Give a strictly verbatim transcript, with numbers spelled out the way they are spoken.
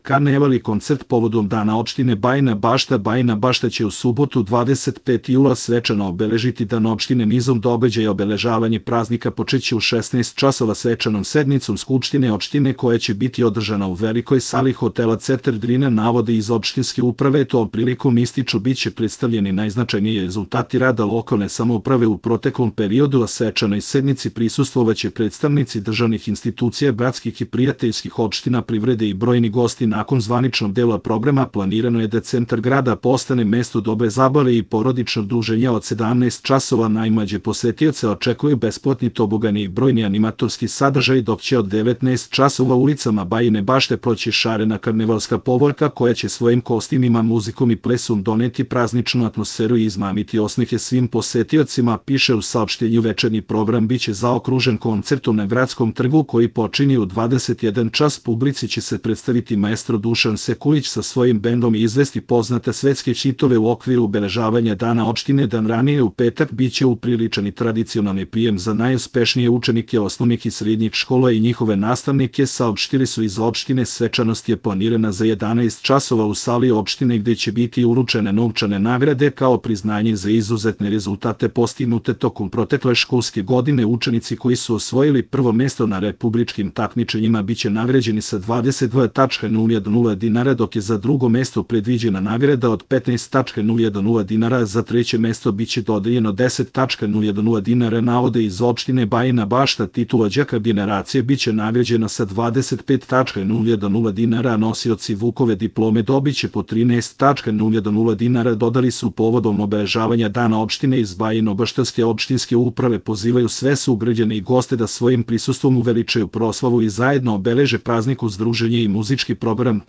karneval i koncert povodom Dana opštine Bajina Bašta. Bajina Bašta će u subotu dvadeset petog jula svečano obeležiti Dan opštine nizom događaja. Obeležavanje praznika počeće u šesnaest časova svečanom sednicom Skupštine opštine koja će biti održana u velikoj sali hotela Cetar Drina. Navode iz opštinske uprave tom prilikom ističu biće predstavljeni najznačajniji rezultati rada lokalne samouprave u proteklom periodu, a svečanoj sednici prisustvovaće predstavnici državnih institucija, bratskih i prijateljskih opština, privrede i brojni gosti. Nakon zvaničnog dela programa planirano je da centar grada postane mesto dobre zabave i porodičnog druženja. Od sedamnaest časova najmlađe posetioce očekuju besplatni tobogani i brojni animatorski sadržaj, dok će od devetnaest časova ulicama Bajine Bašte proći šarena karnevalska povorka koja će svojim kostimima, muzikom i plesom doneti prazničnu atmosferu i izmamiti osmehe svim posetiocima, piše u saopštenju. Večernji program biće zaokružen koncertom na Gradskom trgu koji počinje u dvadeset jedan čas. Publici će se predstaviti maestro Dušan Sekulić sa svojim bendom i izvesti poznate svetske hitove u okviru obeležavanja Dana opštine. Dan ranije u petak biće upriličan i tradicionalni prijem za najuspešnije učenike osnovnih i srednjih škola i njihove nastavnike, saopštili su iz opštine. Svečanost je planirana za jedanaest časova u sali opštine gde će biti uručene novčane nagrade kao priznanje za izuzetne rezultate postignute tokom protekle školske godine. Učenici koji su osvojili prvo mesto na republičkim takmičenjima biće nagrađeni sa dvadeset dva hiljade dinara, dok je za drugo mesto predviđena nagrada od petnaest hiljada dinara, za treće mesto biće dodeljeno deset hiljada dinara. Navode iz opštine Bajina Bašta. Titula đaka generacije biće nagrađena sa dvadeset pet hiljada dinara, nosioci Vukove diplome dobiće po trinaest hiljada dinara. Dodali su povodom obeležavanja Dana opštine iz Bajino-Baštanske opštinske uprave pozivaju sve sugrađane i goste da svojim prisustvom uveličaju proslavu i zajedno obeleže praznik uz druženje i muzički program.